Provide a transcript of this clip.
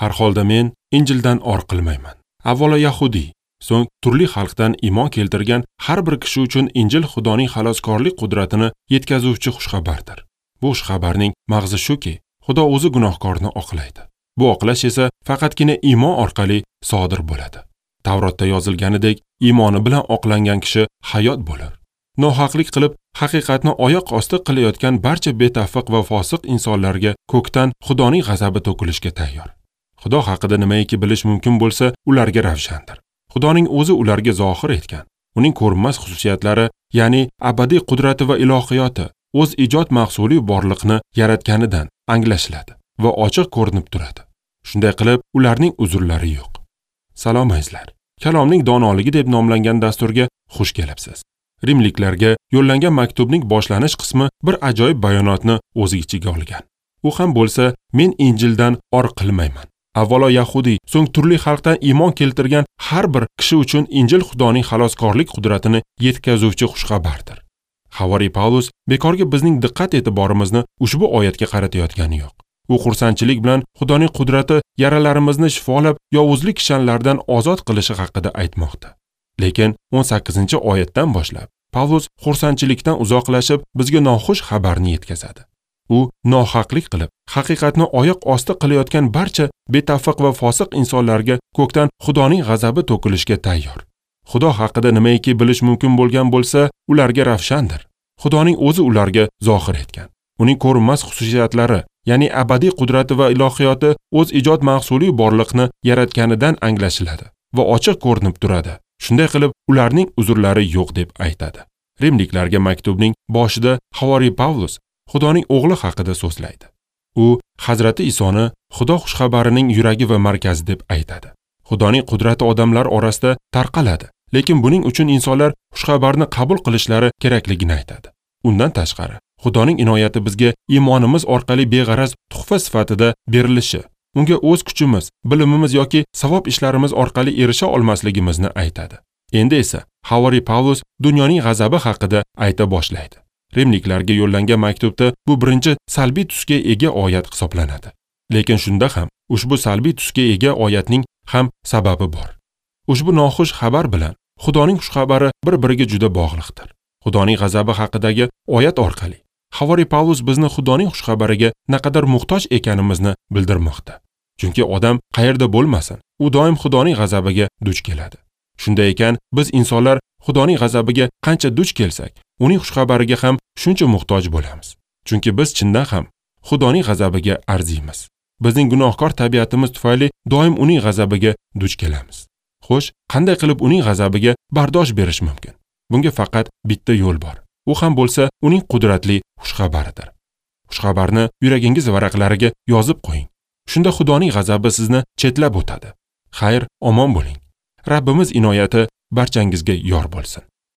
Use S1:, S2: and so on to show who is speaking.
S1: Har holda men Injildan or qilmayman. Avvalo yahudiy, so'ng turli xalqdan iymon keltirgan har bir kishi uchun Injil Xudoning xaloskorlik qudratini yetkazuvchi xushxabardir. Bu xushxabarning mag'zi shuki, Xudo o'zi gunohkorni oqlaydi. Bu oqlash esa faqatgina iymon orqali sodir bo'ladi. Tavrotda yozilganidek, iymoni bilan oqlangan kishi hayot bo'lar. Nohaqlik qilib, haqiqatni oyoq osti qilayotgan barcha betafiq va fosiq insonlarga ko'kdan Xudoning g'azabi to'kilishga tayyor. Xudo haqida nimaiki bilish mumkin bo'lsa, ularga ravshandir. Xudoning o'zi ularga zohir etgan. Uning ko'rinmas xususiyatlari, ya'ni abadiy qudrati va ilohiyoti o'z ijod mahsuli borliqni yaratganidan anglashiladi va ochiq ko'rinib turadi. Shunday qilib, ularning uzrlari yo'q. Salom azizlar. Kalomning donoligi deb nomlangan dasturga xush kelibsiz. Rimliklarga yo'llangan maktubning boshlanish qismi bir ajoyib bayonotni o'z ichiga olgan. U ham bo'lsa, men Injildan or qilmayman. Avvalo yahudiy, so'ng turli xalqdan iymon keltirgan har bir kishi uchun Injil Xudoning xaloskorlik qudratini yetkazuvchi xushxabardir. Havoriy Pavlus bekorga bizning diqqat e'tiborimizni ushbu oyatga qaratayotgani yo'q. U xursandchilik bilan Xudoning qudrati yaralarimizni shifolab, yovuzlik kishanlaridan ozod qilishi haqida aytmoqda. Lekin 18-oyatdan boshlab Pavlus xursandchilikdan uzoqlashib, bizga noxush xabarni yetkazadi. U nohaqlik qilib, haqiqatni oyoq osti qilayotgan barcha betafiq va fosiq insonlarga ko'kdan Xudoning g'azabi to'kilishga tayyor. Xudo haqida nimaiki bilish mumkin bo'lgan bo'lsa, ularga ravshandir. Xudoning o'zi ularga zohir etgan. Uning ko'rinmas xususiyatlari, ya'ni abadiy qudrati va ilohiyoti o'z ijod mahsuli borliqni yaratganidan anglashiladi va ochiq ko'rinib turadi. Shunday qilib, ularning uzrlari yo'q deb aytadi. Rimliklarga maktubning boshida Havoriy Pavlus Xudoning o'g'li haqida so'zlaydi. U Hazrati Isoni Xudo xushxabarining yuragi va markazi deb aytadi. Xudoning qudrati odamlar orasida tarqaladi, lekin buning uchun insonlar xushxabarni qabul qilishlari kerakligini aytadi. Undan tashqari, Xudoning inoyati bizga iymonimiz orqali beg'araz tuhfa sifatida berilishi, unga o'z kuchimiz, bilimimiz yoki savob ishlarimiz orqali erisha olmasligimizni aytadi. Endi esa Havoriy Pavlus dunyoning g'azabi haqida ayta boshlaydi. Rimliklarga yo'llangan maktubda bu birinchi salbiy tusga ega oyat hisoblanadi. Lekin shunda ham ushbu salbiy tusga ega oyatning ham sababi bor. Ushbu noxush xabar bilan Xudoning xushxabari bir-biriga juda bog'liqdir. Xudoning g'azabi haqidagi oyat orqali Havoriy Pavlus bizni Xudoning xushxabariga naqadar muhtoj ekanimizni bildirmoqda. Chunki odam qayerda bo'lmasin, u doim Xudoning g'azabiga duch keladi. Shunday ekan, biz insonlar Xudoning g'azabiga qancha duch kelsak, uning xushxabariga ham shuncha muhtoj bo'lamiz. Chunki biz chindan ham Xudoning g'azabiga arziymiz. Bizning gunohkor tabiatimiz tufayli doim uning g'azabiga duch kelamiz. Xo'sh, qanday qilib uning g'azabiga bardosh berish mumkin? Bunga faqat bitta yo'l bor. U ham bo'lsa uning qudratli xushxabaridir. Xushxabarni yuragingiz varaqlariga yozib qo'ying. Shunda Xudoning g'azabi sizni chetlab o'tadi. Xayr, omon bo'ling. Rabbimiz inoyati barchangizga yor bo'lsin.